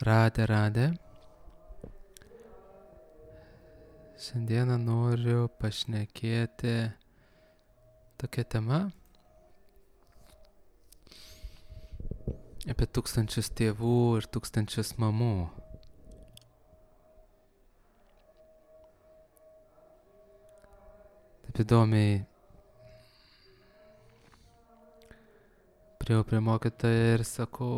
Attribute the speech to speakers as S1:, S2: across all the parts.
S1: Radė. Šiandieną noriu pašnekėti tokia tema apie 1000 tėvų ir 1000 mamų. Taip įdomiai priėjau prie mokytojo ir sakau,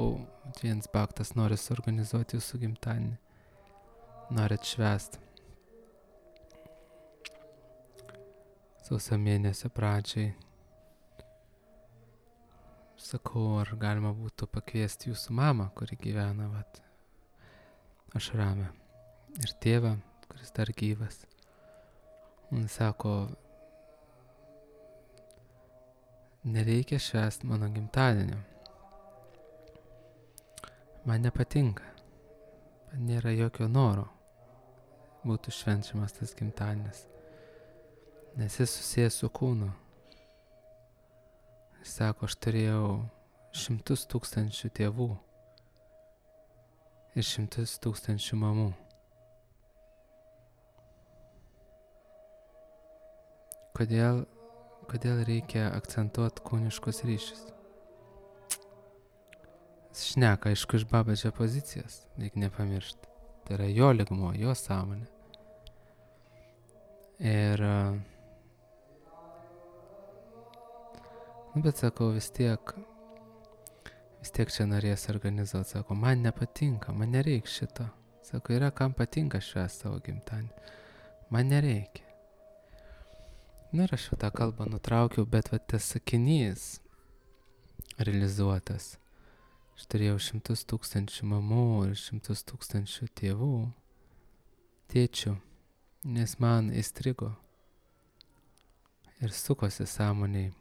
S1: Jens Baktas nori suorganizuoti jūsų gimtadienį. Norit švęst. Sausio mėnesio pradžiai. Sakau, ar galima būtų pakviesti jūsų mamą, kuri gyvena Ašrame. Ir tėvą, kuris dar gyvas. Un sako, nereikia švęst mano gimtadienio. Man nepatinka. Man nėra jokio noro būtų švenčiamas tas gimtadienis. Nes jis susijęs su kūnu. Jis sako, aš turėjau 100 000 tėvų ir 100 000 mamų. Kodėl reikia akcentuoti kūniškus ryšius? Jis šneka, aišku, iš Babadžio pozicijos, reikia nepamiršti. Tai yra jo lygmuo, jo sąmonė. Ir bet sakau, vis tiek čia norės organizuoti. Sako, man nepatinka, man nereikia šito. Sako, yra kam patinka švęsti savo gimtadienį. Man nereikia. Ir aš tą kalbą nutraukiau, bet tas sakinys realizuotas. Aš turėjau 100 000 mamų ir 100 000 tėvų, tėčių, nes man įstrigo ir sukosi sąmoniai.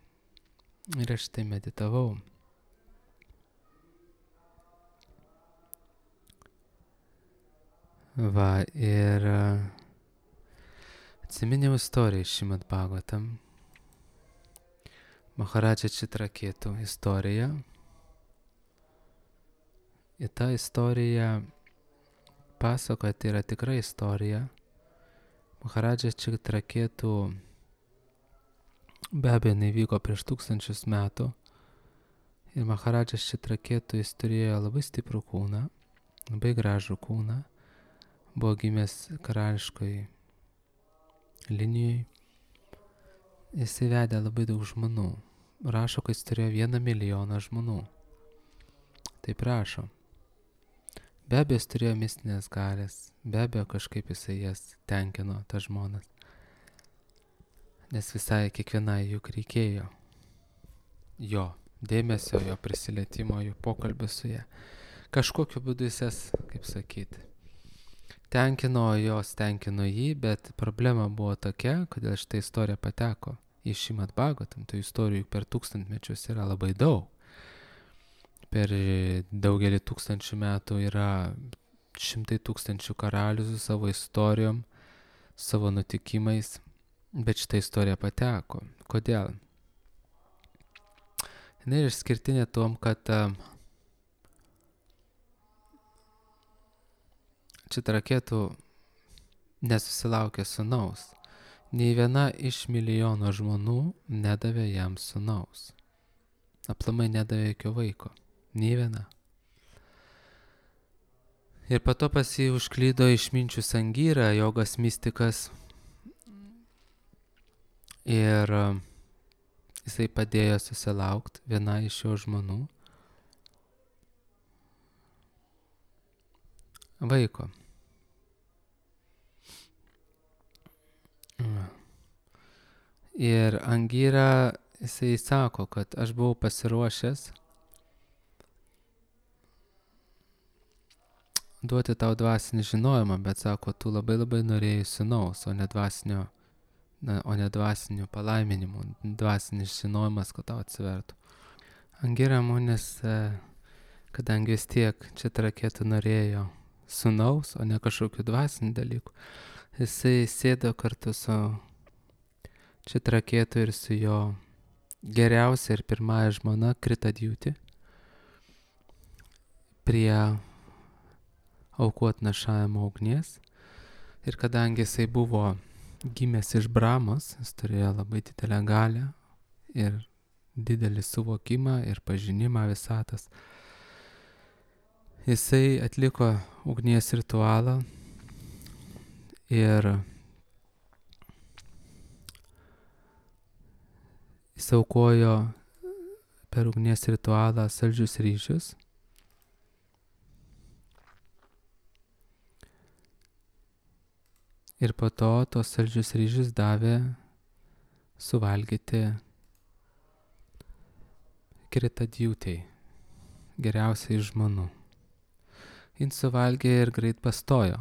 S1: Ir aš tai meditavau. Ir atsiminiau istoriją iš Šrimad Bhagavatam. Maharadža Čitraketu istorija. Ir ta istorija pasakoja, tai yra tikra istorija. Maharadža Čitraketu be abejo nevyko prieš 1000 metų. Ir Maharadžas Čitraketu jis turėjo labai stiprų kūną, labai gražų kūną. Buvo gimęs karališkoj linijoj. Jis įvedė labai daug žmonų. Rašo, kad jis turėjo 1 milijoną žmonų. Taip rašo. Be abejo, jis turėjo mistinės galės. Be abejo, kažkaip jisai jas tenkino, tas žmonas. Nes visai kiekvienai juk reikėjo jo dėmesio, jo prisilietimo, jo pokalbio su ja. Kažkokiu būdu jis jas, kaip sakyti, tenkino jį, bet problema buvo tokia, kodėl šitą istoriją pateko į Šrimad Bhagavatam. Tų istorijų per 1000 mečius yra labai daug. Per daugelį 1000 metų yra 100 000 karalių su savo istorijom, savo nutikimais. Bet šitą istoriją pateko. Kodėl? Jis yra išskirtinė tom, kad Čitraketu nesusilaukė sūnaus. Nei viena iš milijono žmonių nedavė jam sūnaus. Aplamai nedavė jokio vaiko. Nei viena. Ir po to pas jį užklydo išminčius Angira, jogas mistikas. Ir jisai padėjo susilaukti vieną iš jo žmonų vaiko. Ir Angira jisai sako, kad aš buvau pasiruošęs duoti tau dvasinį žinojimą, bet sako, tu labai norėjai sūnaus, o ne dvasinių palaiminimų, dvasinis žinojimas, kad tau atsivertų. Angira Munis, kadangi vis tiek Čitraketu norėjo sūnaus, o ne kažkokių dvasinių dalykų, jisai sėdo kartu su Čitraketu ir su jo geriausia ir pirmąja žmona Kritadjūti prie aukų atnašavimo ugnies. Ir kadangi jisai buvo gimęs iš Brahmos, jis turėjo labai didelę galią ir didelį suvokimą ir pažinimą visatos. Jisai atliko ugnies ritualą ir jis aukojo per ugnies ritualą saldžius ryžius. Ir po to tos saldžius ryžius davė suvalgyti Kritadjutei, geriausiai iš žmonų. Jis suvalgė ir greit pastojo.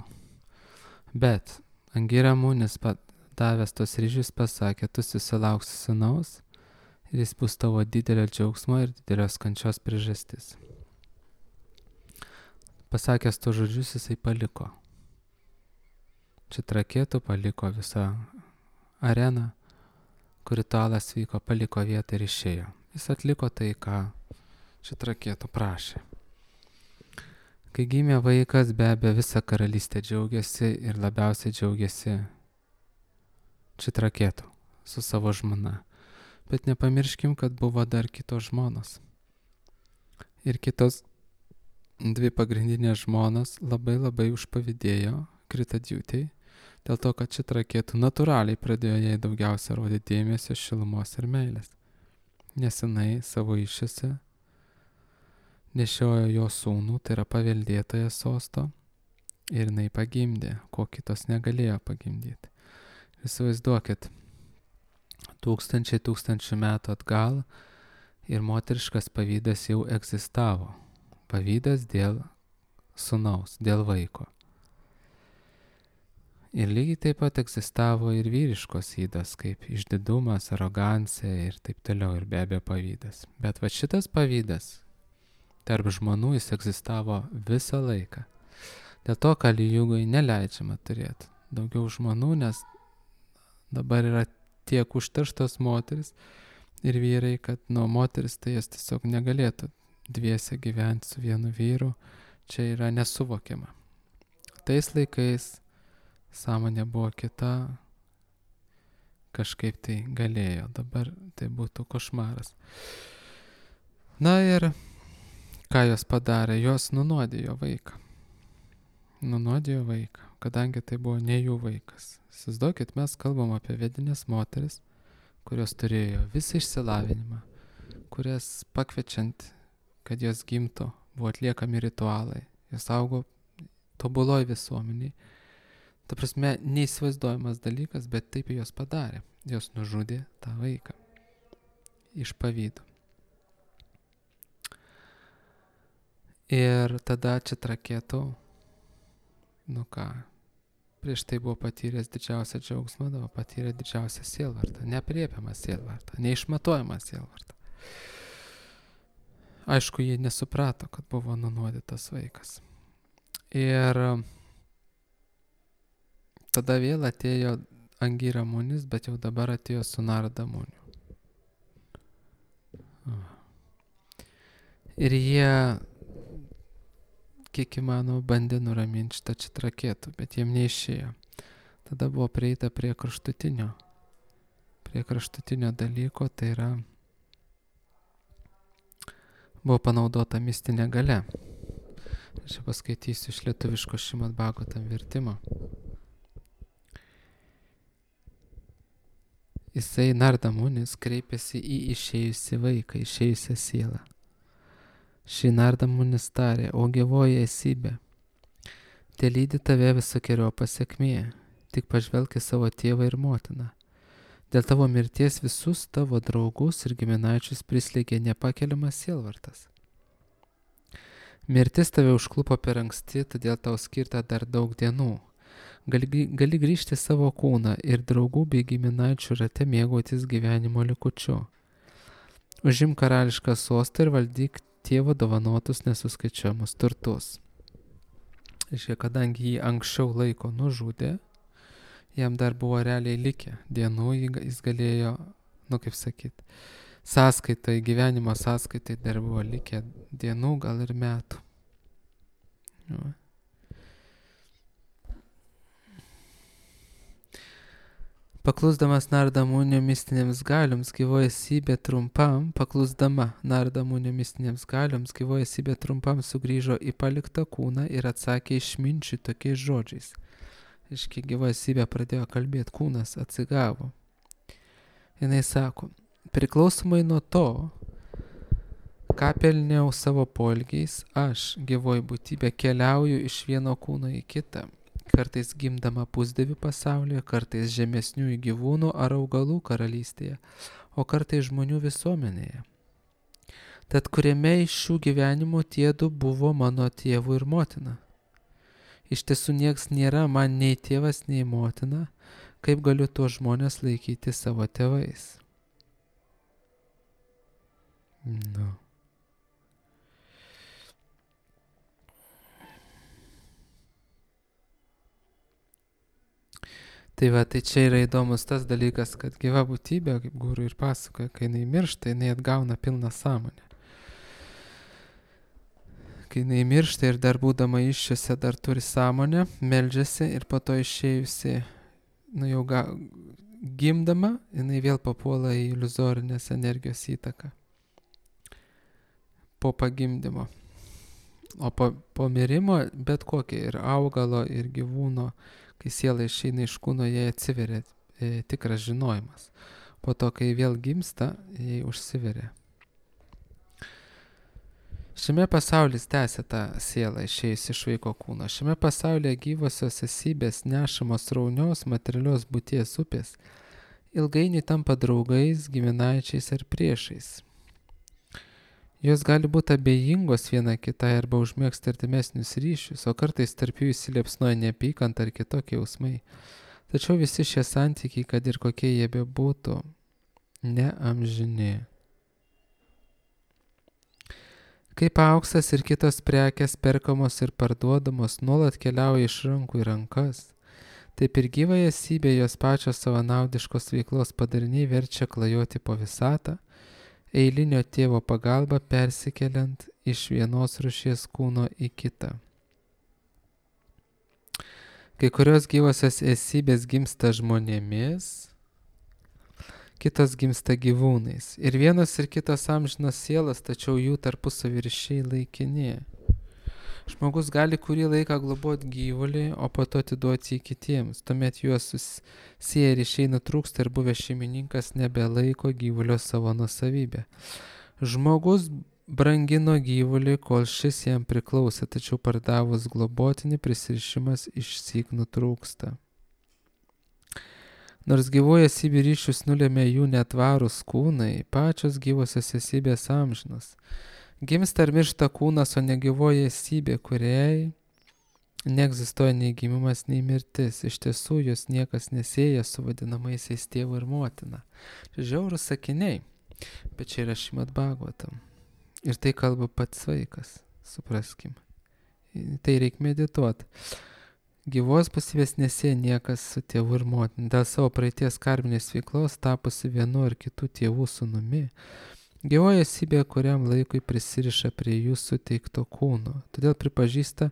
S1: Bet Angira Munis davęs tos ryžius pasakė, tu susilauksi sūnaus ir jis bus tavo didelio džiaugsmo ir didelios kančios priežastis. Pasakęs tos žodžius, jisai paliko. Čitrakėtų paliko visą areną, kur ritualas vyko, paliko vietą ir išėjo. Jis atliko tai, ką Čitrakėtų prašė. Kai gimė vaikas, be abejo, visa karalystė džiaugiasi ir labiausiai džiaugiasi Čitrakėtų su savo žmona. Bet nepamirškim, kad buvo dar kitos žmonos. Ir kitos dvi pagrindinės žmonos labai užpavydėjo Kritadjutei, dėl to, kad Čitrakėtų natūraliai pradėjo jai daugiausia rodyti dėmesio, šilumos ir meilės. Nes jinai savo iššiose nešiojo jo sūnų, tai yra paveldėtoją sosto, ir jinai pagimdė, ko kitos negalėjo pagimdyti. Įsivaizduokit, tūkstančių metų atgal ir moteriškas pavydas jau egzistavo. Pavydas dėl sūnaus, dėl vaiko. Ir lygiai taip pat egzistavo ir vyriškos ydos, kaip išdidumas, arogancija ir taip toliau, ir be abejo pavydas. Bet va šitas pavydas tarp žmonių jis egzistavo visą laiką. Dėl to Kali Jugai neleidžiama turėti daugiau žmonių, nes dabar yra tiek užterštos moteris ir vyrai, kad moteris tai jas tiesiog negalėtų dviese gyventi su vienu vyru. Čia yra nesuvokiama. Tais laikais sąmonė buvo kita, kažkaip tai galėjo, dabar tai būtų košmaras. Na ir ką jos padarė? Jos nunuodijo vaiką. Nunuodijo vaiką, kadangi tai buvo ne jų vaikas. Įsivaizduokit, mes kalbam apie vedinės moteris, kurios turėjo visą išsilavinimą, kurias pakviečiant, kad jos gimtų, buvo atliekami ritualai. Jos augo tobuloj visuomeniai. Ta prasme, neįsivaizduojamas dalykas, bet taip jos padarė. Jos nužudė tą vaiką iš pavydo. Ir tada Čitrakėtų, prieš tai buvo patyręs didžiausią džiaugsmą, dabar patyrė didžiausią sielvartą, neapriepiamą sielvartą, neišmatuojamą sielvartą. Aišku, jie nesuprato, kad buvo nunuodytas vaikas. Ir tada vėl atėjo Angira Munis, bet jau dabar atėjo su Narada Muniu. Ir jie, kiek įmanoma, bandė nuraminti šitą Čitrakėtų, bet jiem neišėjo. Tada buvo prieita prie kraštutinio dalyko, tai yra buvo panaudota mistinė galia. Aš paskaitysiu iš lietuviško Šrimad Bhagavatam vertimo. Jisai Narada Munis kreipėsi į išėjusi vaiką, išėjusią sielą. Šį Narada Munis tarė, o gyvoji esybė, te lydi tave visokeriopą sėkmė, tik pažvelk į savo tėvą ir motiną. Dėl tavo mirties visus tavo draugus ir giminaičius prislėgė nepakeliamas sielvartas. Mirtis tave užklupo per anksti, todėl tau skirta dar daug dienų. Gali grįžti savo kūną ir draugų bei giminaičių rate mėgautis gyvenimo likučiu. Užimk karališką sostą ir valdyk tėvo dovanotus nesuskaičiuojamus turtus. Iškia, kadangi jį anksčiau laiko nužudė, jam dar buvo realiai likę dienų, jis galėjo, sąskaitai, gyvenimo sąskaitai dar buvo likę dienų, gal ir metų. Paklusdama nardamunio mistinėms galioms gyvoji esybė trumpam sugrįžo į paliktą kūną ir atsakė išminčiui tokiais žodžiais. Iški gyvoji esybė pradėjo kalbėti, kūnas atsigavo. Jinai sako, priklausomai nuo to, ką pelniau savo poelgiais, aš, gyvoji būtybė, keliauju iš vieno kūno į kitą. Kartais gimdama pusdievių pasaulyje, kartais žemesniųjų gyvūnų ar augalų karalystėje, o kartais žmonių visuomenėje. Tad kuriame iš šių gyvenimų tiedu buvo mano tėvų ir motina? Iš tiesų nieks nėra man nei tėvas, nei motina, kaip galiu tuos žmonės laikyti savo tėvais. Nu. Tai va, tai čia yra įdomus tas dalykas, kad gyva būtybė, kaip guru ir pasakoja, kai jinai miršta, jinai atgauna pilną sąmonę. Kai jinai miršta ir dar būdama iššiose dar turi sąmonę, meldžiasi ir po to išėjusi, jau gimdama, jinai vėl papuola į iliuzorinės energijos įtaką. Po pagimdymo. O po mirimo bet kokia ir augalo, ir gyvūno, kai siela išeina iš kūno, jai atsiveria tikras žinojimas. Po to, kai vėl gimsta, jai užsiveria. Šiame pasaulis tęsia tą sielą išėjus iš vaiko kūno. Šiame pasaulyje gyvosios esybės nešamos sraunios materialios būties upės ilgainiui tampa draugais, giminaičiais ar priešais. Jos gali būti abejingos viena kitai arba užmėgsti artimesnius ryšius, o kartais tarp jų įsiliepsnoja neapykanta ar kitokie jausmai. Tačiau visi šie santykiai, kad ir kokie jie bebūtų, neamžini. Kaip auksas ir kitos prekės perkamos ir parduodamos nuolat keliauja iš rankų į rankas, taip ir gyvąją esybę jos pačios savanaudiškos veiklos padariniai verčia klajoti po visatą, eilinio tėvo pagalba persikeliant iš vienos rūšies kūno į kitą. Kai kurios gyvosios esybės gimsta žmonėmis, kitos gimsta gyvūnais. Ir vienos ir kitos amžinos sielas, tačiau jų tarpusavio ryšiai laikini. Žmogus gali kurį laiką globoti gyvulį, o po to atiduoti jį kitiems. Tuomet juos susieję ryšiai nutrūksta ir buvęs šeimininkas nebelaiko gyvulio savo nuosavybę. Žmogus brangino gyvulį, kol šis jam priklausė, tačiau pardavus globotinį prisirišimas išsyk nutrūksta. Nors gyvoji esybė ryšius nulėmė jų netvarūs kūnai, pačios gyvosios esybės amžinos. Gimsta ir miršta kūnas, o ne gyvoji esybė, kuriai neegzistuoja nei gimimas, nei mirtis. Iš tiesų, jos niekas nesieja su vadinamaisiais tėvu ir motina. Čia žiaurūs sakiniai, bet čia yra Šrimad Bhagavatam. Ir tai kalba pats vaikas, supraskim. Tai reikia medituoti. Gyvos būsybės nesieja niekas su tėvu ir motina. Dėl savo praeities karminės veiklos tapusi vienu ar kitų tėvų sūnumi, gyvoji esybė kuriam laikui prisiriša prie jų suteikto kūno, todėl pripažįsta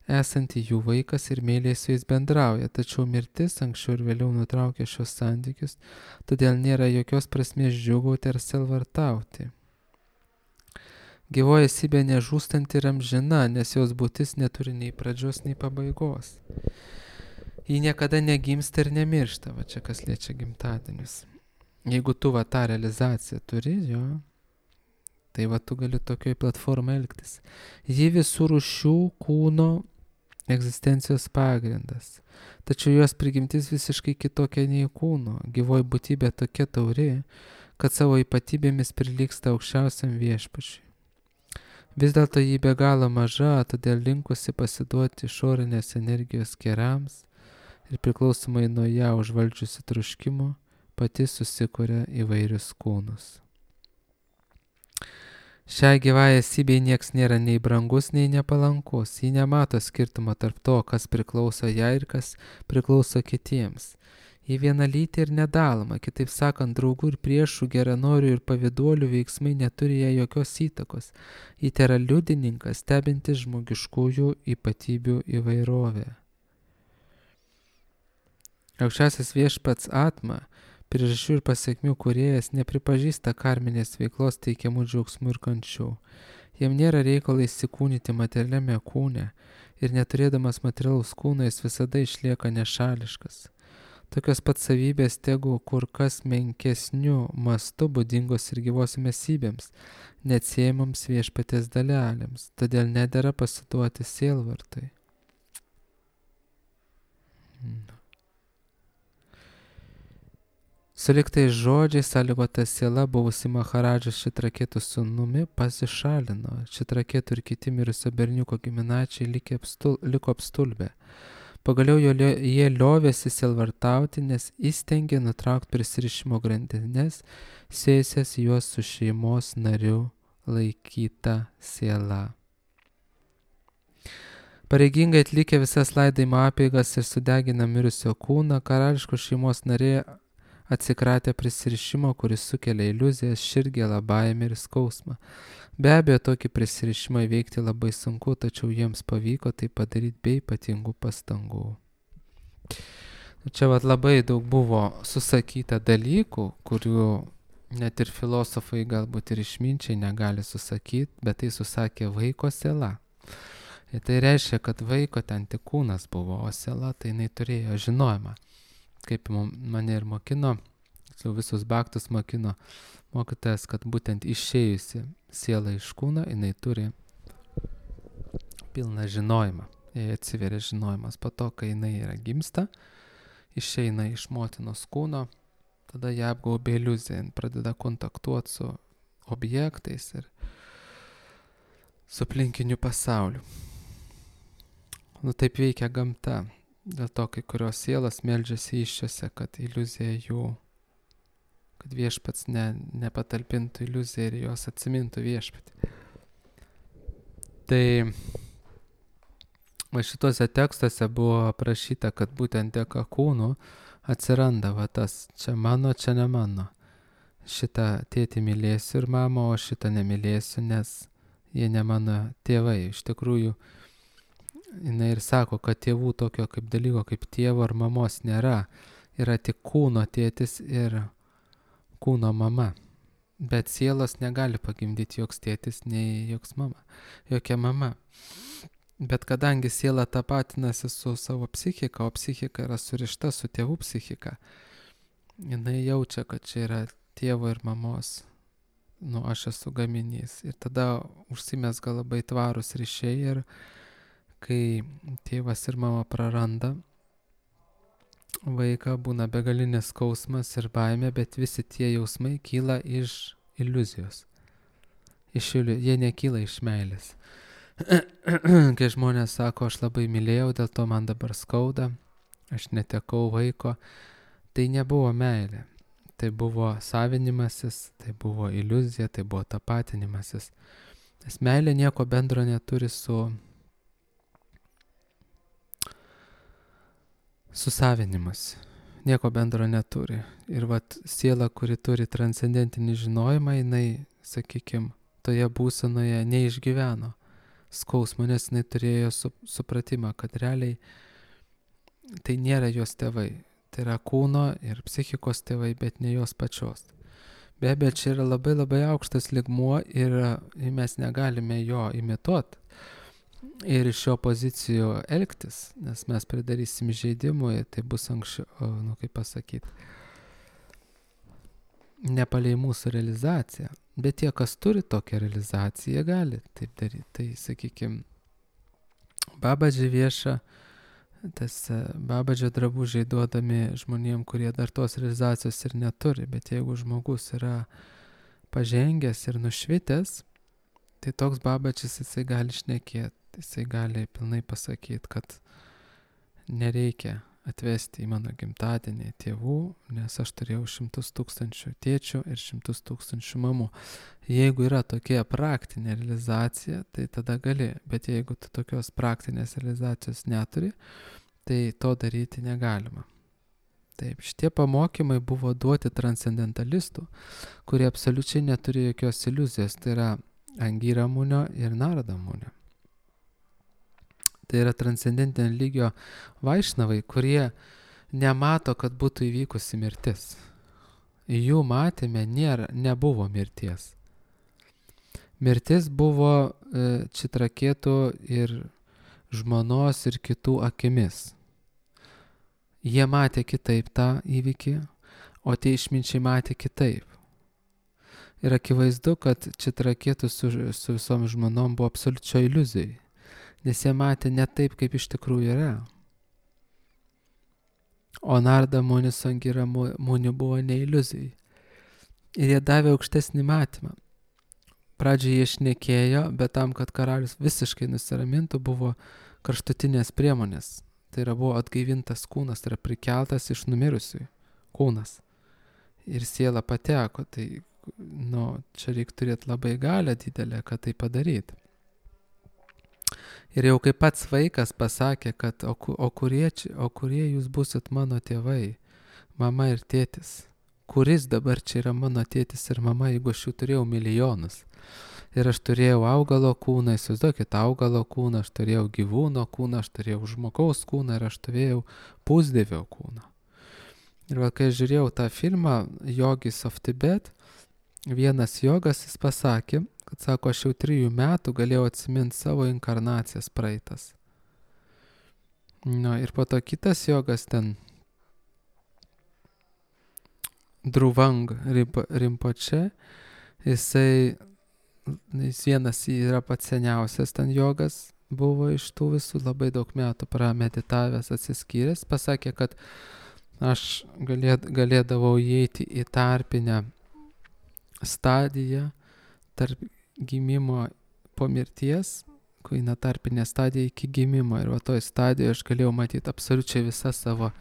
S1: esanti jų vaikas ir meiliai su jais bendrauja, tačiau mirtis anksčiau ir vėliau nutraukia šios santykius, todėl nėra jokios prasmės džiūgauti ar selvartauti. Gyvoji esybė nežūstanti ir amžina, nes jos būtis neturi nei pradžios, nei pabaigos. Ji niekada negimsta ir nemiršta, va čia kas liečia gimtadienius. Jeigu tu va tą realizaciją turi, jo, tai va tu gali tokioj platformai elgtis. Ji visų rūšių kūno egzistencijos pagrindas. Tačiau jos prigimtis visiškai kitokia nei kūno. Gyvoji būtybė tokia tauri, kad savo ypatybėmis prilygsta aukščiausiam viešpačiui. Vis dėlto ji be galo maža, todėl linkusi pasiduoti išorinės energijos kerams ir priklausomai nuo ją užvaldžiusi troškimo, pati susikuria įvairius kūnus. Šiai gyvai esybei nieks nėra nei brangus, nei nepalankus. Ji nemato skirtumo tarp to, kas priklauso jai ir kas priklauso kitiems. Ji vienalytė ir nedaloma, kitaip sakant, draugų ir priešų, geranorių ir pavyduolių veiksmai neturi jai jokios įtakos. Ji tėra liudininkas, stebintis žmogiškųjų ypatybių įvairovę. Aukščiausias viešpats Atma, priežasčių ir pasiekmių kūrėjas, nepripažįsta karminės veiklos teikiamų džiaugsmų ir kančių. Jam nėra reikalo įsikūnyti materialiame kūne ir neturėdamas materialaus kūno jis visada išlieka nešališkas. Tokios pat savybės tegu kur kas menkesnių mastų būdingos ir gyvosiams esybėms, neatsiejamoms viešpaties dalelėms, todėl nedera pasiduoti sielvartui. Suliktais žodžiais sąlygota siela, buvusi Maharadžos Šitraketų sūnumi, pasišalino. Šitraketų ir kiti mirusio berniuko giminaičiai liko apstulbę. Pagaliau jie liovėsi sielvartauti, nes įstengė nutraukti prisirišimo grandines, sėjusias juos su šeimos nariu laikyta siela. Pareigingai atlikę visas laidojimo apeigas ir sudegina mirusio kūną, karališkos šeimos nariai atsikratė prisirišimo, kuris sukelia iliuzijas, širdgėlą, baimę ir skausmą. Be abejo, tokį prisirišimą įveikti labai sunku, tačiau jiems pavyko tai padaryti be ypatingų pastangų. Čia labai daug buvo susakyta dalykų, kurių net ir filosofai galbūt ir išminčiai negali susakyti, bet tai susakė vaiko siela. Ir tai reiškia, kad vaiko ten tik kūnas buvo, o siela tai jinai turėjo žinojimą. Kaip mane ir mokino, visus baktus mokino mokytojas, kad būtent išėjusi siela iš kūno, jinai turi pilną žinojimą. Jai atsiveria žinojimas. Po to, kai jinai yra gimsta, išeina iš motinos kūno, tada ją apgaubia iliuzija, jin pradeda kontaktuoti su objektais ir su aplinkiniu pasauliu. Taip veikia gamta. Dėl to kai kurios sielos meldžiasi iššiose, kad iliuzija jų, kad viešpats nepatalpintų iliuziją ir jos atsimintų viešpatį. Tai šituose tekstuose buvo aprašyta, kad būtent dėka kūnų atsiranda tas čia mano, čia ne mano. Šitą tėtį mylėsiu ir mamą, o šitą nemylėsiu, nes jie ne mano tėvai. Iš tikrųjų, jinai ir sako, kad tėvų tokio kaip dalyko, kaip tėvo ar mamos nėra. Yra tik kūno tėtis ir kūno mama. Bet sielos negali pagimdyti joks tėtis, nei joks mama. Jokia mama. Bet kadangi siela tapatinasi su savo psichika, o psichika yra surišta su tėvų psichika, jinai jaučia, kad čia yra tėvo ir mamos. Aš esu gaminys. Ir tada užsimesga labai tvarūs ryšiai ir kai tėvas ir mama praranda vaiką, būna begalinės skausmas ir baimė, bet visi tie jausmai kyla iš iliuzijos. Jie nekyla iš meilės. Kai žmonės sako, aš labai mylėjau, dėl to man dabar skauda, aš netekau vaiko, tai nebuvo meilė. Tai buvo savinimasis, tai buvo iliuzija, tai buvo tapatinimasis. Nes meilė nieko bendro neturi su savinimas. Nieko bendro neturi. Ir siela, kuri turi transcendentinį žinojimą, jinai, sakykime, toje būsenoje neišgyveno skausmo, nes jinai turėjo supratimą, kad realiai tai nėra jos tėvai. Tai yra kūno ir psichikos tėvai, bet ne jos pačios. Be abejo, čia yra labai labai aukštas lygmuo ir mes negalime jo imituoti. Ir iš šio pozicijų elgtis, nes mes pridarysim žaidimų ir tai bus anksčiau, kaip pasakyti, nepalei mūsų realizaciją. Bet tie, kas turi tokią realizaciją, gali taip daryti. Tai, sakykime, Babadži vieša, tas Babadžio drabužiai duodami žmonėm, kurie dar tos realizacijos ir neturi. Bet jeigu žmogus yra pažengęs ir nušvitęs, tai toks Babadžis jisai gali šnekėti. Jisai gali pilnai pasakyti, kad nereikia atvesti į mano gimtadienį tėvų, nes aš turėjau 100 000 tėčių ir 100 000 mamų. Jeigu yra tokia praktinė realizacija, tai tada gali, bet jeigu tu tokios praktinės realizacijos neturi, tai to daryti negalima. Taip, šitie pamokymai buvo duoti transcendentalistų, kurie absoliučiai neturi jokios iliuzijos, tai yra Angira Munio ir Narada Munio. Tai yra transcendentinio lygio vaišnavai, kurie nemato, kad būtų įvykusi mirtis. Jų matyme nebuvo mirties. Mirtis buvo Čitrakėtų ir žmonos ir kitų akimis. Jie matė kitaip tą įvykį, o tie išminčiai matė kitaip. Ir akivaizdu, kad Čitrakėtų su visom žmonom buvo absoliučio iliuzijai, nes jie matė ne taip, kaip iš tikrųjų yra. O Narda Muni su Angira Muni buvo ne iliuzijai. Ir jie davė aukštesnį matymą. Pradžioje jie šnekėjo, bet tam, kad karalius visiškai nusiramintų, buvo kraštutinės priemonės. Tai yra buvo atgaivintas kūnas, tai yra prikeltas iš numirusiųjų kūnas. Ir siela pateko, tai čia reikia turėti labai galią didelę, kad tai padaryti. Ir jau kaip pats vaikas pasakė, kad o kurie jūs būsit mano tėvai, mama ir tėtis? Kuris dabar čia yra mano tėtis ir mama, jeigu aš jų turėjau milijonus? Ir aš turėjau augalo kūną, įsivaizduokit, augalo kūną, aš turėjau gyvūno kūną, aš turėjau žmogaus kūną ir aš turėjau pusdievio kūną. Ir kai aš žiūrėjau tą filmą Yogis of Tibet, vienas jogas jis pasakė, kad sako, aš jau 3 metų galėjau atsiminti savo inkarnacijas praeitas. Ir po to kitas jogas ten, Druvang Rimpoče, jis vienas yra pats seniausias ten jogas, buvo iš tų visų, labai daug metų prameditavęs, atsiskyręs, pasakė, kad aš galėdavau įeiti į tarpinę stadiją tarp gimimo po mirties, kai eina tarpinė stadija iki gimimo. Ir toj stadijoje aš galėjau matyti absoliučiai visas savo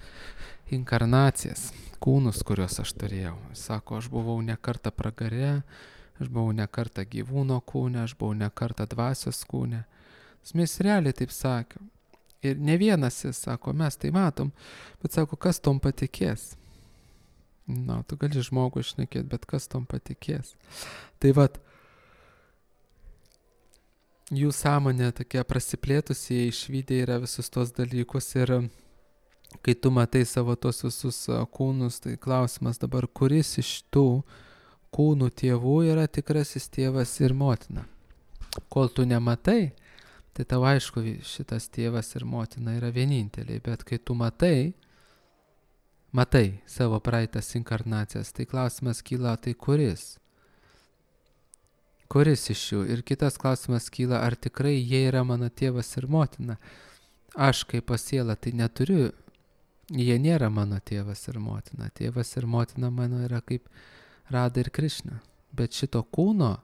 S1: inkarnacijas, kūnus, kuriuos aš turėjau. Sako, aš buvau ne kartą pragare, aš buvau ne kartą gyvūno kūne, aš buvau ne kartą dvasios kūne. Jis realiai taip sakė. Ir ne vienas jis sako, mes tai matom, bet sako, kas tom patikės? Tu gali žmogų šnekėti, bet kas tom patikės? Tai jų sąmonė tokia prasiplėtusi, jie išvydę yra visus tos dalykus ir kai tu matai savo tos visus kūnus, tai klausimas dabar, kuris iš tų kūnų tėvų yra tikrasis tėvas ir motina? Kol tu nematai, tai tau aišku, šitas tėvas ir motina yra vieninteliai, bet kai tu matai savo praeitas inkarnacijas, tai klausimas kyla, tai kuris? Kuris iš jų? Ir kitas klausimas kyla, ar tikrai jie yra mano tėvas ir motina? Aš kaip pasiela tai neturiu, jie nėra mano tėvas ir motina. Tėvas ir motina mano yra kaip Rada ir Krišna. Bet šito kūno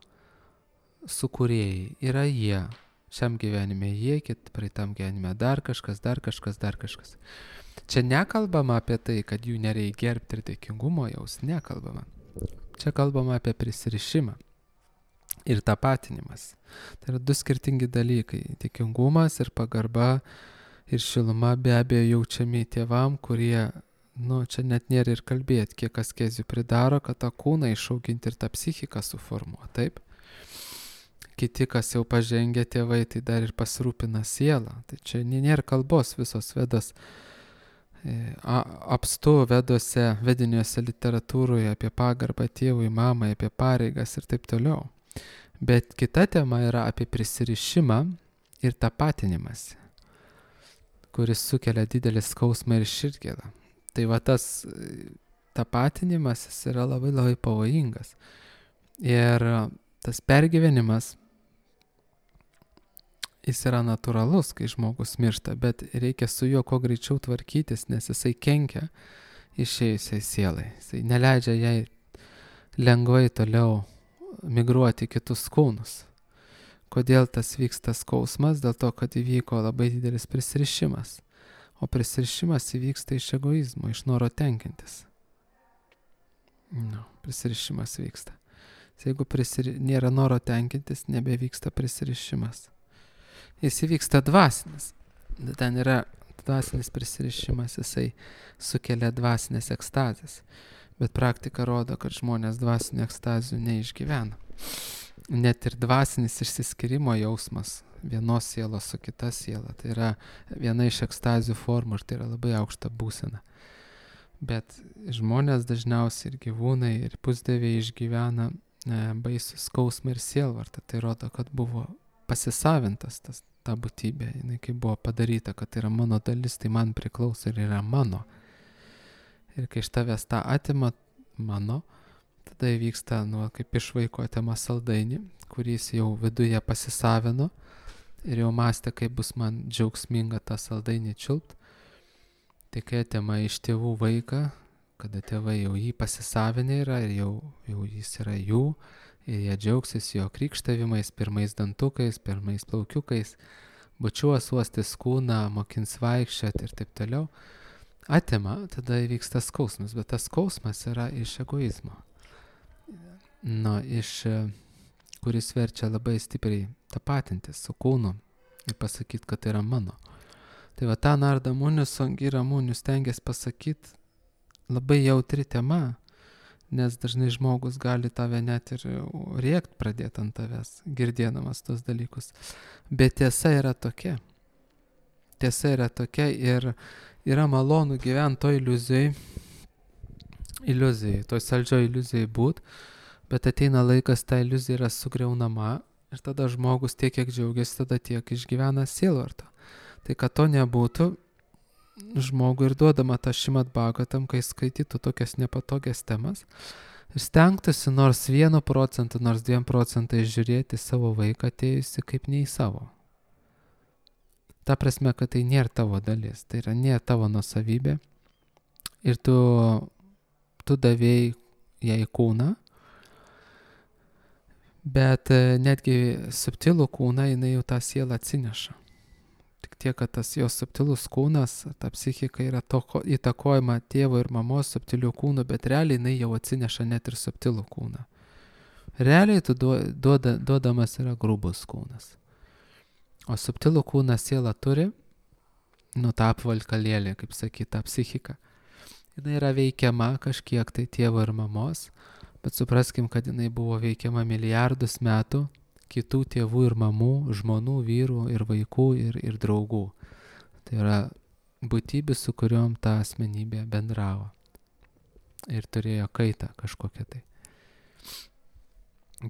S1: sukūrėjai yra jie. Šiam gyvenime jie, praeitam gyvenime dar kažkas. Čia nekalbama apie tai, kad jų nereikia gerbti ir dėkingumo jaus, nekalbama. Čia kalbama apie prisirišimą ir tapatinimas. Tai yra 2 skirtingi dalykai. Dėkingumas ir pagarba ir šiluma be abejo jaučiami tėvam, kurie, čia net nėra ir kalbėti, kiek askezių pridaro, kad tą kūną išauginti ir tą psichiką suformuoti, taip? Kiti, kas jau pažengia tėvai, tai dar ir pasirūpina sielą. Tai čia nėra kalbos, visos vedos apstu vedose, vediniuose literatūroje apie pagarbą tėvui, mamai, apie pareigas ir taip toliau. Bet kita tema yra apie prisirišimą ir tapatinimąsi, kuris sukelia didelį skausmą ir širdgėlą. Tai tas tapatinimas yra labai labai pavojingas. Ir tas pergyvenimas, jis yra natūralus, kai žmogus miršta, bet reikia su juo kuo greičiau tvarkytis, nes jisai kenkia išėjusiai sielai. Jisai neleidžia jai lengvai toliau migruoti kitus kūnus. Kodėl tas vyksta skausmas? Dėl to, kad įvyko labai didelis prisirišimas. O prisirišimas įvyksta iš egoizmo, iš noro tenkintis. Prisirišimas vyksta. Jeigu nėra noro tenkintis, nebevyksta prisirišimas. Jis įvyksta dvasinis. Ten yra dvasinis prisirišimas, jisai sukelia dvasinės ekstazės. Bet praktika rodo, kad žmonės dvasinių ekstazių neišgyvena. Net ir dvasinis išsiskyrimo jausmas vienos sielos su kita siela. Tai yra viena iš ekstazių formų ir tai yra labai aukšta būsena. Bet žmonės dažniausiai ir gyvūnai, ir pusdieviai išgyvena baisų skausmą ir sielvartą. Tai rodo, kad buvo pasisavintas ta būtybė, jinai kaip buvo padaryta, kad tai yra mano dalis, tai man priklauso ir yra mano. Ir kai iš tavęs tą atima mano, tada įvyksta, kaip iš vaiko atima saldainį, kuris jau viduje pasisavino ir jau mąstė, kaip bus man džiaugsminga tą saldainį čiulpt. Tai kai atima iš tėvų vaiką, kada tėvai jau jį pasisavinę yra ir jau jis yra jų, ir jie džiaugsis jo krikštavimais, pirmais dantukais, pirmais plaukiukais, bučiuos, uostys kūną, mokins vaikščioti ir taip toliau, atima, tada įvyksta skausmas, bet tas skausmas yra iš egoizmo. Kuris verčia labai stipriai tapatintis su kūnu ir pasakyti, kad tai yra mano. Tai va tą Narada Munis, Angira Munis stengiasi pasakyti labai jautri tema, nes dažnai žmogus gali tave net ir rėkt pradėti ant tavęs, girdėdamas tos dalykus. Bet tiesa yra tokia. Tiesa yra tokia ir yra malonu gyventi toj iliuzijai, toj saldžioj iliuzijai būt, bet ateina laikas, ta iliuzija yra sugriaunama ir tada žmogus tiek, kiek džiaugiasi, tada tiek išgyvena sielvartą. Tai kad to nebūtų, žmogui ir duodama tą Šrimad Bhagavatam, kai skaitytų tokias nepatogias temas ir stengtųsi nors 1%, nors 2% žiūrėti savo vaiką atėjusi kaip ne į savo. Ta prasme, kad tai nėra tavo dalis, tai yra nėra tavo nuosavybė ir tu davėjai jai kūną, bet netgi subtilų kūną jinai jau tą sielą atsineša. Tik tiek, kad tas jos subtilus kūnas, ta psichika yra įtakojama tėvo ir mamos subtilių kūnų, bet realiai jinai jau atsineša net ir subtilų kūną. Realiai tu duodamas yra grubus kūnas. O subtilų kūną siela turi, tą apvalkalėlį, kaip sakyti, tą psichiką. Jinai yra veikiama kažkiek tai tėvo ir mamos, bet supraskim, kad jinai buvo veikiama milijardus metų kitų tėvų ir mamų, žmonų, vyrų ir vaikų ir draugų. Tai yra būtybė, su kuriuom ta asmenybė bendravo. Ir turėjo kaitą kažkokią tai.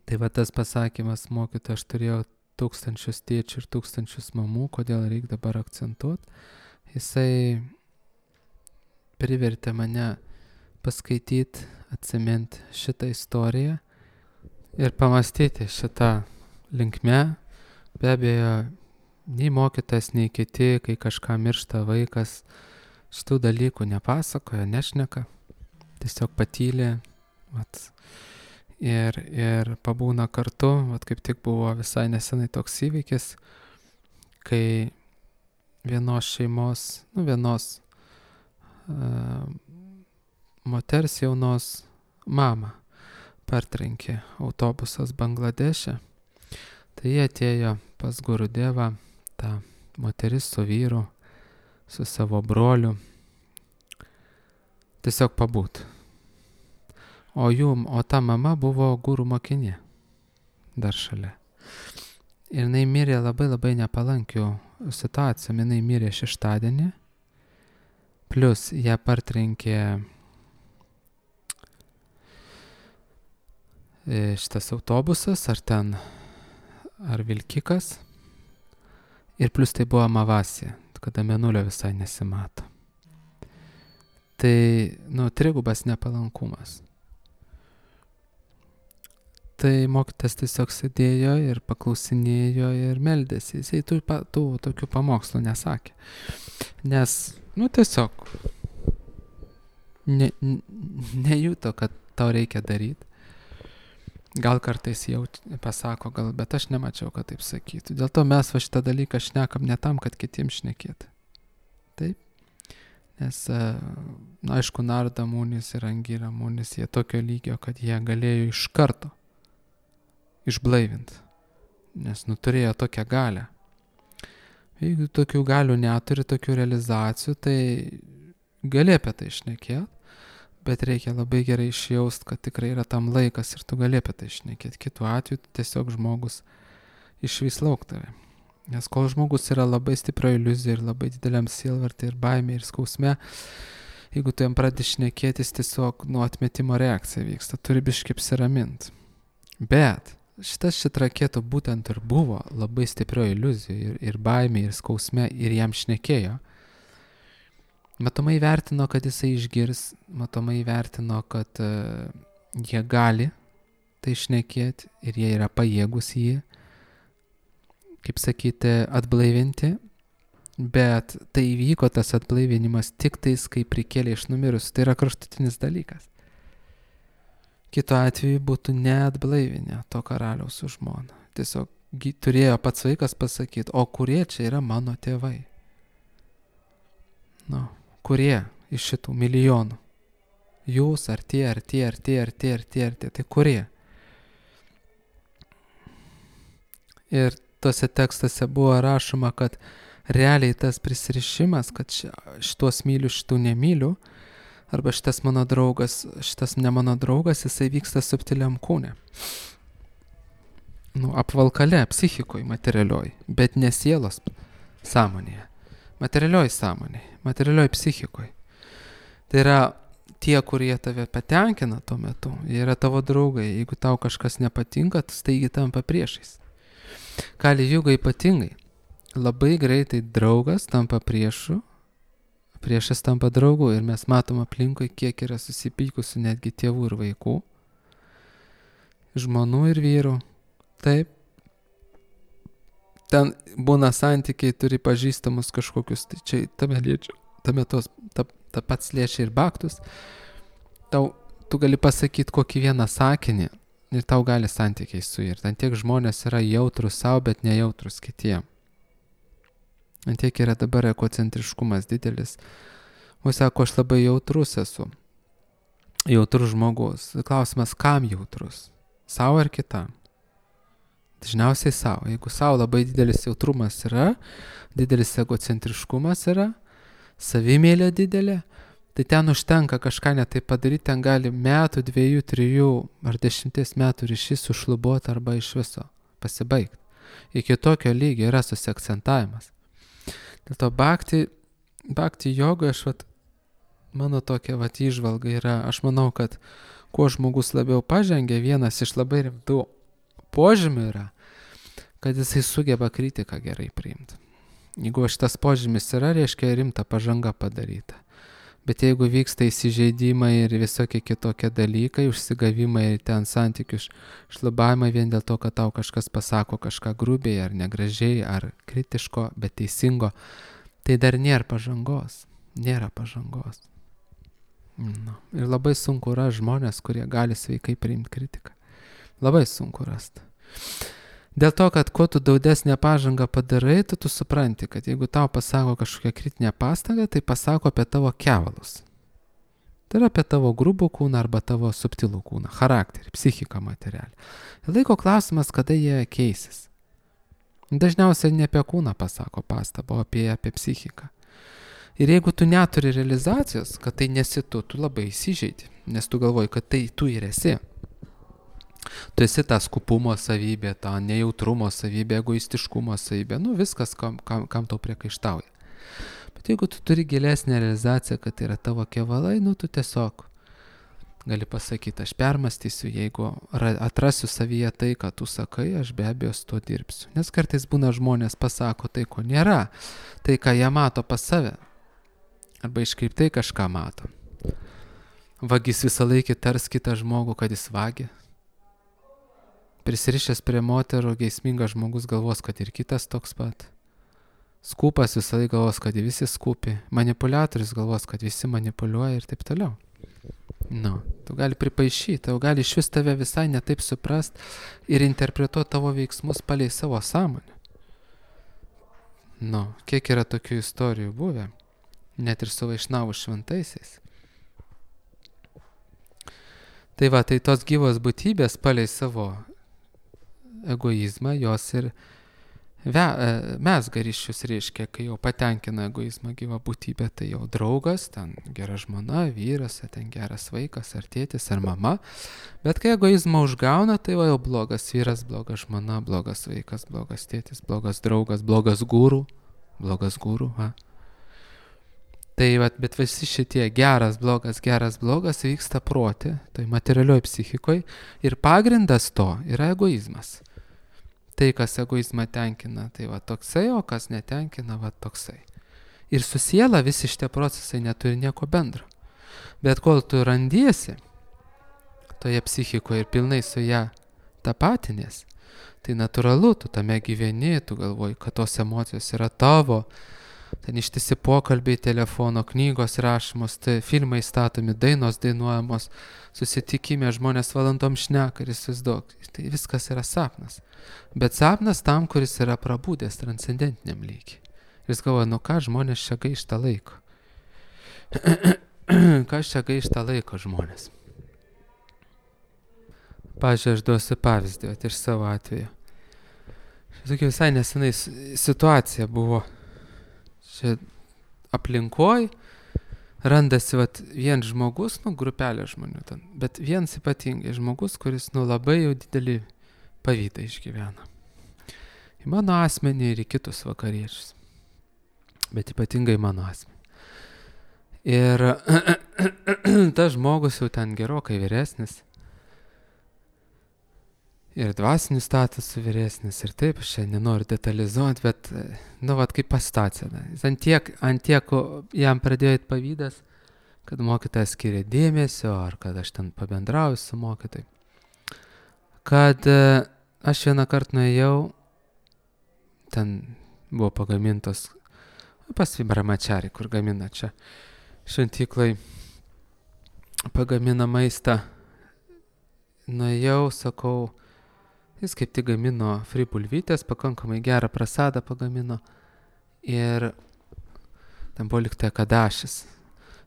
S1: Tai va tas pasakymas, mokytoja, aš turėjau 1000 tėčių ir 1000 mamų, kodėl reikia dabar akcentuoti. Jisai privertė mane paskaityti, atsiminti šitą istoriją ir pamastyti šitą linkme. Be abejo, nei mokytas, nei kiti, kai kažką miršta vaikas, šitų dalykų nepasakoja, nešneka, tiesiog patylė ir pabūna kartu. Kaip tik buvo visai nesenai toks įvykis, kai vienos šeimos, vienos moters jaunos mamą partrenkė autobusas Bangladeše. Tai jie atėjo pas Gurudevą, ta moteris su vyru, su savo broliu, tiesiog pabūt. O ta mama buvo gurų mokinė dar šalia. Ir jinai mirė labai nepalankių situacijų. Jinai mirė šeštadienį, plus ją partrenkė šitas autobusas, ar vilkikas, ir plus tai buvo amavasija, kada mėnulio visai nesimato. Tai, trigubas nepalankumas. Tai mokytas tiesiog sėdėjo ir paklausinėjo ir meldėsi. Jisai tų tokių pamokslų nesakė. Nes, tiesiog nejuto, kad tau reikia daryti. Gal kartais jau pasako, bet aš nemačiau, kad taip sakytų. Dėl to mes šitą dalyką šnekam ne tam, kad kitiems šnekėti. Taip? Nes, aišku, Narada Munis ir Angira Munis, jie tokio lygio, kad jie galėjo iš karto išblaivinti. Nes turėjo tokią galią. Jeigu tokių galių neturi, tokių realizacijų, tai gali apie tai šnekėti. Bet reikia labai gerai išjaust, kad tikrai yra tam laikas ir tu gali apie tai šnekėti. Kitu atveju tiesiog žmogus išvis lauk tave. Nes kol žmogus yra labai stiprio iliuzija ir labai dideliam sielvartį ir baimė ir skausme, jeigu tu jam pradedi šnekėtis, tiesiog atmetimo reakcija vyksta, turi biškai apsiramint. Bet šitas Čitraketu būtent ir buvo labai stiprioji iliuzija ir baimė, ir skausme, ir jam šnekėjo. Matomai vertino, kad jisai išgirs, matomai vertino, kad jie gali tai šnekėti ir jie yra pajėgus jį, kaip sakyti, atblaivinti. Bet tai įvyko tas atblaivinimas tik tais, kai prikėlė iš numirus. Tai yra kraštutinis dalykas. Kitu atveju būtų neatblaivinę to karaliaus su žmona. Tiesiog turėjo pats vaikas pasakyti, o kurie čia yra mano tėvai? Kurie iš šitų milijonų? Jūs, ar tie, tai kurie? Ir tose tekstuose buvo rašoma, kad realiai tas prisirišimas, kad šitos myliu, šitų nemyliu, arba šitas mano draugas, šitas ne mano draugas, jisai vyksta subtiliam kūne. Apvalkale, psichikoje, materialioj, bet ne sielos sąmonėje. Materialioj sąmonėje, materialioj psichikoje. Tai yra tie, kurie tave patenkina tuo metu, jie yra tavo draugai. Jeigu tau kažkas nepatinka, tu staigi tampa priešais. Kali Juga ypatingai. Labai greitai draugas tampa priešu, priešas tampa draugu ir mes matom aplinkui, kiek yra susipykusių netgi tėvų ir vaikų, žmonų ir vyrų. Taip. Ten būna santykiai, turi pažįstamus kažkokius, tai čia tame ta pats liečia ir baktus. Tu gali pasakyti kokį vieną sakinį ir tau gali santykiai suirti. Ant tiek žmonės yra jautrus savo, bet nejautrus kitiem. Ant tiek yra dabar ekocentriškumas didelis. O sako, aš labai jautrus esu. Jautrus žmogus. Klausimas, kam jautrus? Sau ar kitam? Dažniausiai sau. Jeigu sau labai didelis jautrumas yra, didelis egocentriškumas yra, savimėlė didelė, tai ten užtenka kažką netai padaryti, ten gali metų, 2, 3 ar 10 metų ryšys sušlubuoti arba iš viso pasibaigti. Iki tokio lygio yra susiakcentavimas. Dėl to bhakti jogoje mano tokia įžvalga yra, aš manau, kad kuo žmogus labiau pažengia, vienas iš labai rimtų požymių yra, kad jisai sugeba kritiką gerai priimti. Jeigu šitas požymis yra, reiškia rimta pažanga padaryta. Bet jeigu vyksta įsižeidimai ir visokie kitokie dalykai, užsigavimai ir ten santykių šlubavimai vien dėl to, kad tau kažkas pasako kažką grubiai ar negražiai, ar kritiško, bet teisingo, tai dar nėra pažangos. Nėra pažangos. Ir labai sunku yra žmonės, kurie gali sveikai priimti kritiką. Labai sunku rasti. Dėl to, kad kuo tu daudesnę pažangą padarai, tu supranti, kad jeigu tau pasako kažkokią kritinę pastangą, tai pasako apie tavo kevalus. Tai yra apie tavo grubų kūną arba tavo subtilų kūną, charakterį, psichiką materialį. Laiko klausimas, kada jie keisis. Dažniausiai ne apie kūną pasako pastabą, o apie psichiką. Ir jeigu tu neturi realizacijos, kad tai nesi tu labai įsižeidi, nes tu galvoji, kad tai tu ir esi. Tu esi ta skupumo savybė, ta nejautrumo savybė, egoistiškumo savybė, viskas, kam tau priekaištauja. Bet jeigu tu turi gilesnę realizaciją, kad tai yra tavo kevalai, tu tiesiog gali pasakyti, aš permastysiu, jeigu atrasiu savyje tai, ką tu sakai, aš be abejo su to dirbsiu. Nes kartais būna žmonės pasako tai, ko nėra, tai, ką jie mato pas save, arba iškreiptai kažką mato. Vagis visą laikį tars kitą žmogų, kad jis vagi. Prisirišęs prie moterų, geismingas žmogus galvos, kad ir kitas toks pat. Skūpas visą laiką galvos, kad visi skūpi. Manipuliatorius galvos, kad visi manipuliuoja ir taip toliau. Tu gali pripaišyti, tau gali iš vis tave visai netaip suprast ir interpretuoti tavo veiksmus palei savo sąmonę. Kiek yra tokių istorijų buvę, net ir su Vaišnavų šventaisiais. Tai tos gyvos būtybės palei savo egoizmą, jos ir mezga ryšius, reiškia, kai jau patenkina egoizmą gyva būtybė, tai jau draugas, ten gera žmona, vyras, ten geras vaikas, ar tėtis, ar mama. Bet kai egoizmą užgauna, tai jau blogas vyras, bloga žmona, blogas vaikas, blogas tėtis, blogas draugas, blogas guru. Tai bet visi šitie geras, blogas vyksta prote, tai materialioj psichikoje ir pagrindas to yra egoizmas. Tai, kas egoizmą tenkina, tai va toksai, o kas netenkina, va toksai. Ir su siela visi šitie procesai neturi nieko bendro. Bet kol tu randiesi toje psichikoje ir pilnai su ją tapatinies, tai natūralu, tu tame gyveni, tu galvoji, kad tos emocijos yra tavo, ten ištisi pokalbiai, telefono, knygos rašomos, tai filmai statomi, dainos dainuojamos, susitikime žmonės valandom šneka ir įsivaizduok. Tai viskas yra sapnas. Bet sapnas tam, kuris yra prabūdęs transcendentiniam lygiui. Ir jis galvoja, ką žmonės čia gaišta laiko. Kas čia gaišta laiko žmonės? Pavyzdžiui, aš duosiu pavyzdį iš savo atveju. Tokia visai nesenai situacija buvo. Čia aplinkoj randasi vien žmogus, grupelė žmonių ten, bet vienas ypatingai žmogus, kuris labai jau didelį pavydą išgyvena. Į mano asmenį ir į kitus vakariečius, bet ypatingai mano asmenį. Ir tas žmogus jau ten gerokai vyresnis, ir dvasinių statusų vyresnis, ir taip, aš čia nenoriu detalizuoti, bet, kaip pasitacija. Ant tiek jam pradėjo eit pavydas, kad mokytojas skiria dėmesio, ar kad aš ten pabendrauju su mokytoju. Kad aš vieną kartą nuėjau, ten buvo pagamintos, pas Brahmachari, kur gamina čia šventyklai, pagamina maistą. Nuėjau, sakau, jis kaip tik gamino fri bulvytės, pakankamai gerą prasadą pagamino ir ten buvo liktai kadašis.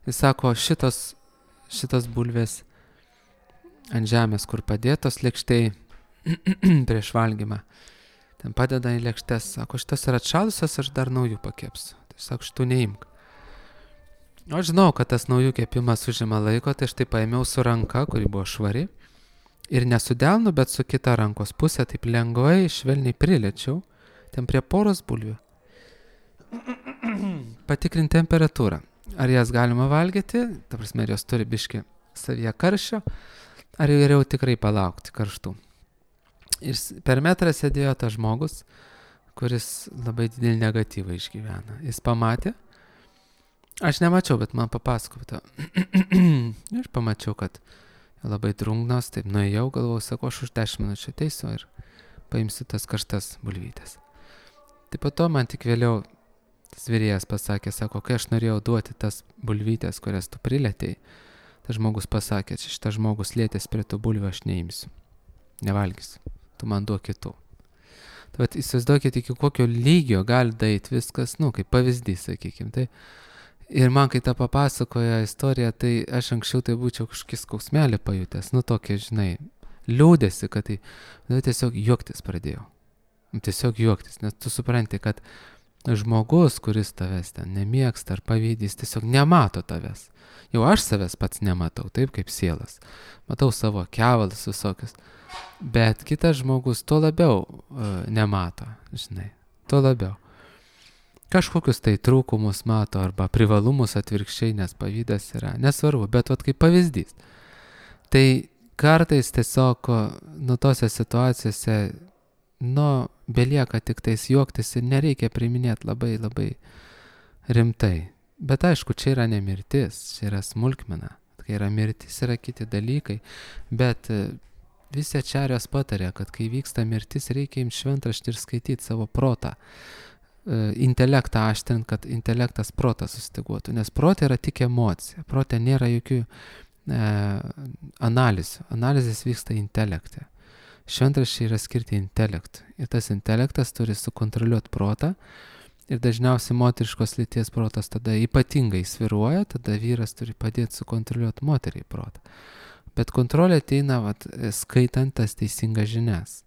S1: Jis sako, šitos bulvės ant žemės, kur padėtos lėkštei prieš valgymą. Ten padeda į lėkštes, sako, šitas yra atšalusios, aš dar naujų pakepsiu. Tai sako, šitų neimk. Aš žinau, kad tas naujų kepimas užima laiko, tai aš tai paėmiau su ranka, kuri buvo švari. Ir nesudelnu, bet su kita rankos pusė, taip lengvai, švelniai priliečiau, ten prie poros bulvių. Patikrinti temperatūrą. Ar jas galima valgyti, ta prasme, jos turi biškį savyje karščio, ar geriau tikrai palaukti karštų. Ir per metrą sėdėjo tas žmogus, kuris labai didelį negatyvą išgyvena. Jis pamatė, aš nemačiau, bet man papasakojo. Aš pamačiau, kad labai drungnos, taip nuėjau, galvojau, sako, aš už 10 minučių ateisiu ir paimsiu tas karštas bulvytės. Tai po to man tik vėliau tas vyrėjas pasakė, sako, kai aš norėjau duoti tas bulvytės, kurias tu prilėtėjai, tas žmogus pasakė, šitas žmogus lietės prie tų bulvių, aš neimsiu, nevalgysiu, tu man duok kitų. Tai įsivaizduokit, iki kokio lygio gali daeiti viskas, kaip pavyzdys, sakykim, tai. Ir man, kai tą papasakojo istoriją, tai aš anksčiau tai būčiau kažkokį skausmelį pajutęs, tokia, liūdėsi, kad tai tiesiog juoktis pradėjau. Tiesiog juoktis, nes tu supranti, kad žmogus, kuris tavęs ten nemėgsta ar pavydys, tiesiog nemato tavęs. Jau aš savęs pats nematau, taip kaip sielas. Matau savo kevalus visokius. Bet kitas žmogus to labiau nemato, to labiau. Kažkokius tai trūkumus mato arba privalumus atvirkščiai, nes pavydas yra nesvarbu, bet kaip pavyzdys. Tai kartais tiesiog tose situacijose, belieka tik tais juoktis ir nereikia priiminėti labai, labai rimtai. Bet aišku, čia yra ne mirtis, čia yra smulkmena. Kai yra mirtis, yra kiti dalykai, bet visi ačarijos patarė, kad kai vyksta mirtis, reikia imti šventraštį ir skaityti savo protą. Intelektą aštrint, kad intelektas protas sustyguotų, nes protė yra tik emocija, protė nėra jokių analizių, analizės vyksta intelekte. Šventraščiai yra skirti intelektui ir tas intelektas turi sukontroliuoti protą ir dažniausiai moteriškos lyties protas tada ypatingai sviruoja, tada vyras turi padėti sukontroliuoti moteriai protą. Bet kontrolė ateina skaitant tas teisingas žinias.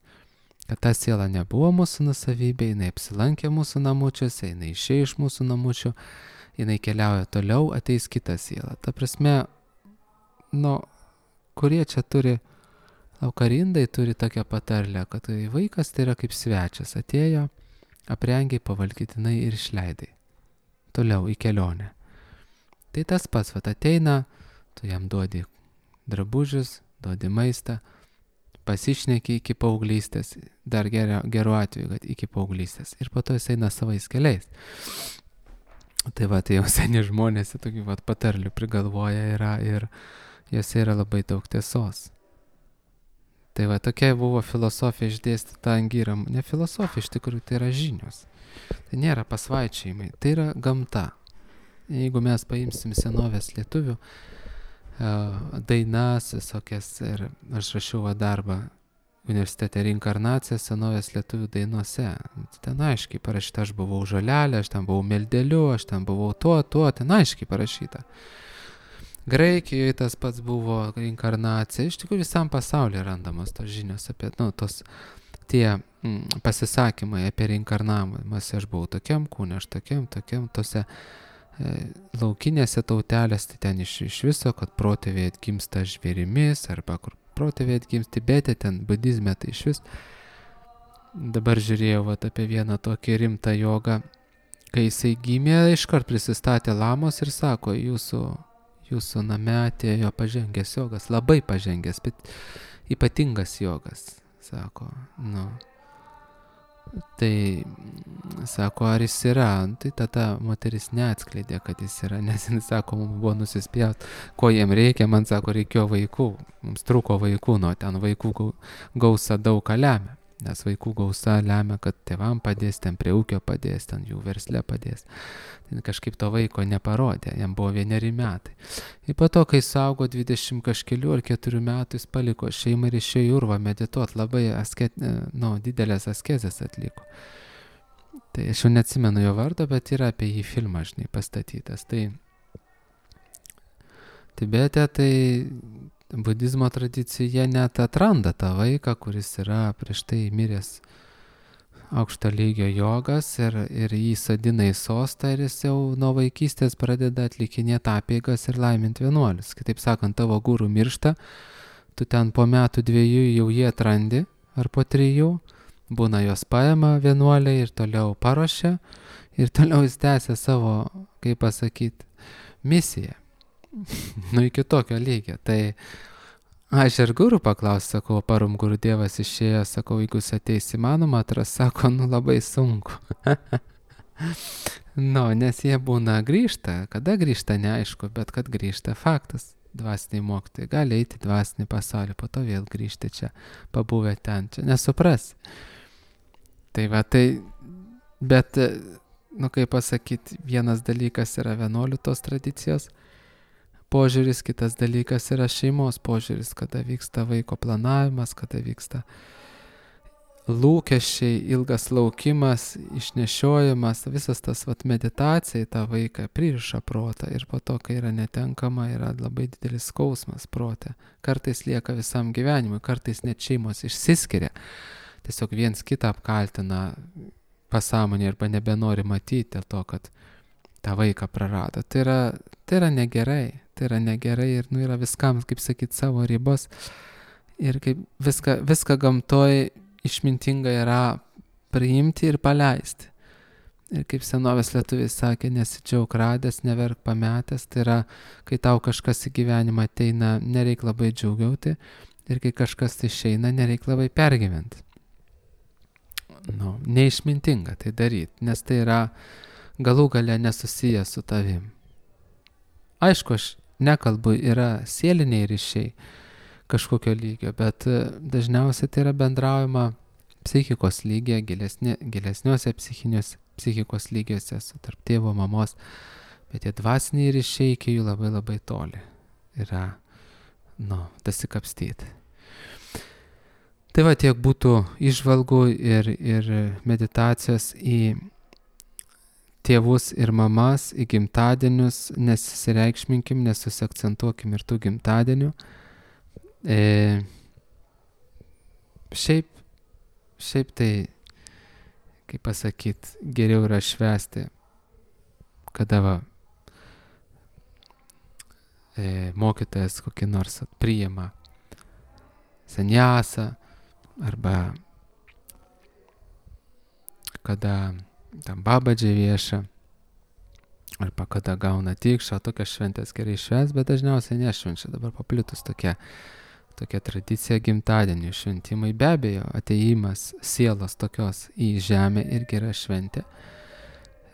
S1: Kad ta siela nebuvo mūsų nusavybė, jinai apsilankė mūsų namučiuose, jinai išėjo iš mūsų namučių, jinai keliauja toliau, ateis kita siela. Ta prasme, kurie čia turi, laukarindai turi tokią patarlę, kad vaikas tai yra kaip svečias, atėjo, aprengiai, pavalgytinai ir išleidai. Toliau į kelionę. Tai tas pats, ateina, tu jam duodi drabužius, duodi maistą, pasišneki iki paauglystės, dar geru atveju, kad iki paauglystės. Ir po to jis eina savais keliais. Tai tai jau seni žmonės tokių patarlių prigalvoja yra ir jose yra labai daug tiesos. Tai tokia buvo filosofija išdėstyta Angyram. Ne filosofija, iš tikrųjų, tai yra žinios. Tai nėra pasvaičiojimai, tai yra gamta. Jeigu mes paimsim senovės lietuvių dainas visokias, ir aš rašiau darbą universitete Reinkarnacija senovės lietuvių dainuose. Ten aiškiai parašyta, aš buvau žolelė, aš ten buvau meldeliu, aš ten buvau tuo, ten aiškiai parašyta. Graikijoje tas pats buvo reinkarnacija. Iš tikrųjų visam pasaulyje randamos tos žinios apie, tie pasisakymai apie reinkarnavimą. Aš buvau tokiam kūne, aš tokiam, tose laukinėse tautelės, tai ten iš viso, kad protėviai atgimsta žvėrimis, arba kur protėviai atgimsta Tibete, ten budizme, tai iš vis. Dabar žiūrėjau apie vieną tokį rimtą jogą, kai jisai gimė, iškart prisistatė lamos ir sako, jūsų name atėjo pažengęs jogas, labai pažengęs, bet ypatingas jogas, sako, Tai sako, ar jis yra, tai tada moteris neatskleidė, kad jis yra, nes jis sako, mums buvo nusispjaut, ko jiem reikia, man sako, reikėjo vaikų, mums trūko vaikų, ten vaikų gausa daug ką lemia, nes vaikų gausa lemia, kad tėvam padės, ten prie ūkio padės, ten jų versle padės. Tai kažkaip to vaiko neparodė, jam buvo 1 metai. Ir po to, kai suaugo 20 kažkelių ar 4 metų, jis paliko šeimą ir išėjo į urvą medituot, labai didelės askezės atliko. Tai aš jau neatsimenu jo vardo, bet yra apie jį filmas, pastatytas. Tai Tibete, tai budizmo tradicija net atranda tą vaiką, kuris yra prieš tai miręs aukšto lygio jogas ir jį sodina į sostą ir jis jau nuo vaikystės pradeda atlikinėti apeigas ir laiminti vienuolius. Kitaip sakant, tavo guru miršta, tu ten po 1-2 jau jį atrandi, ar po 3, būna jos paima vienuoliai ir toliau paruošia ir toliau jis tęsia savo, kaip pasakyti, misiją. Iki tokio lygio. Tai aš ir guru paklausiu, sakau, parum guru dievas išėjo, sakau, jeigu jis ateis įmanoma atras, sako, labai sunku. Nes jie būna grįžta, kada grįžta neaišku, bet kad grįžta faktas. Dvasiniai mokytojai gali eiti dvasinį pasaulį, po to vėl grįžti čia, pabuvę ten, čia nesupras. Tai bet, kaip pasakyti, vienas dalykas yra vienuolių tos tradicijos požiūris, kitas dalykas yra šeimos požiūris, kada vyksta vaiko planavimas, kada vyksta lūkesčiai, ilgas laukimas, išnešiojimas, visas tas meditacija į tą vaiką pririša protą ir po to, kai yra netenkama, yra labai didelis skausmas prote. Kartais lieka visam gyvenimui, kartais net šeimos išsiskiria, tiesiog viens kitą apkaltina pasąmonė arba nebenori matyti dėl to, kad tą vaiką prarado. Tai yra negerai. Tai yra negerai ir yra viskam, kaip sakyti, savo ribos. Ir kaip viską gamtoj išmintinga yra priimti ir paleisti. Ir kaip senovės lietuviai sakė, nesidžiauk radęs, neverk pametęs. Tai yra, kai tau kažkas į gyvenimą ateina, nereik labai džiaugiauti. Ir kai kažkas išeina, nereik labai pergyventi. Neišmintinga tai daryti, nes tai yra galų gale nesusiję su tavim. Aišku, aš nekalbu, yra sieliniai ryšiai kažkokio lygio, bet dažniausiai tai yra bendraujama psichikos lygyje, gilesniuose psichikos lygiuose, tarp tėvo, mamos, bet tie dvasiniai ryšiai iki jų labai labai toli yra, dasikapstyti. Tai tiek būtų įžvalgų ir meditacijos į tėvus ir mamas, į gimtadienius, nesireikšminkim, nesusiakcentuokim ir tų gimtadienių. Šiaip tai, kaip pasakyti, geriau yra švęsti, kada mokytojas kokį nors priima sanjasą, arba kada tam babadžiai vieša, arba kada gauna tikšą, tokias šventės gerai švęs, bet dažniausiai nešvenčia. Dabar paplitus tokia tradicija gimtadienio šventimai. Be abejo, ateimas sielos tokios į žemę irgi yra šventė.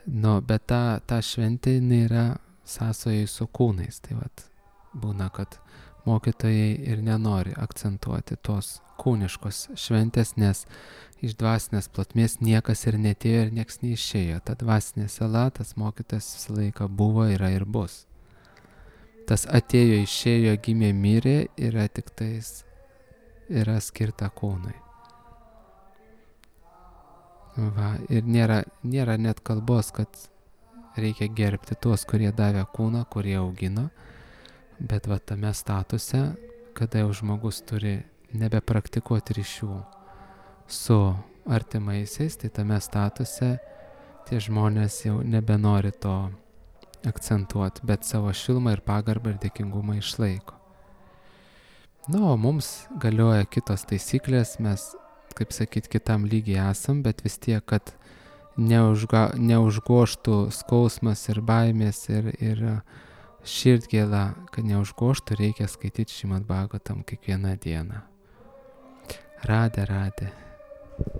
S1: Bet ta šventė nėra sąsoje su kūnais. Tai vat būna, kad mokytojai ir nenori akcentuoti tos kūniškos šventės, nes iš dvasinės plotmės niekas ir netėjo ir nieks neišėjo. Ta dvasinė sala, tas mokytas visą laiką buvo, yra ir bus. Tas atėjo, išėjo, gimė, mirė, yra tik tais, yra skirta kūnui. Va, ir nėra net kalbos, kad reikia gerbti tuos, kurie davė kūną, kurie augino, bet va tame statuse, kada jau žmogus turi nebepraktikuoti ryšių su artimaisiais, tai tame statuse tie žmonės jau nebenori to akcentuoti, bet savo šilumą ir pagarbą ir dėkingumą išlaiko. O mums galioja kitos taisyklės, mes, kaip sakyt, kitam lygiai esam, bet vis tiek, kad neužgoštų skausmas ir baimės ir širdgėla, kad neužgoštų, reikia skaityti Šrimad Bhagavatam kiekvieną dieną. Radhe, radhe.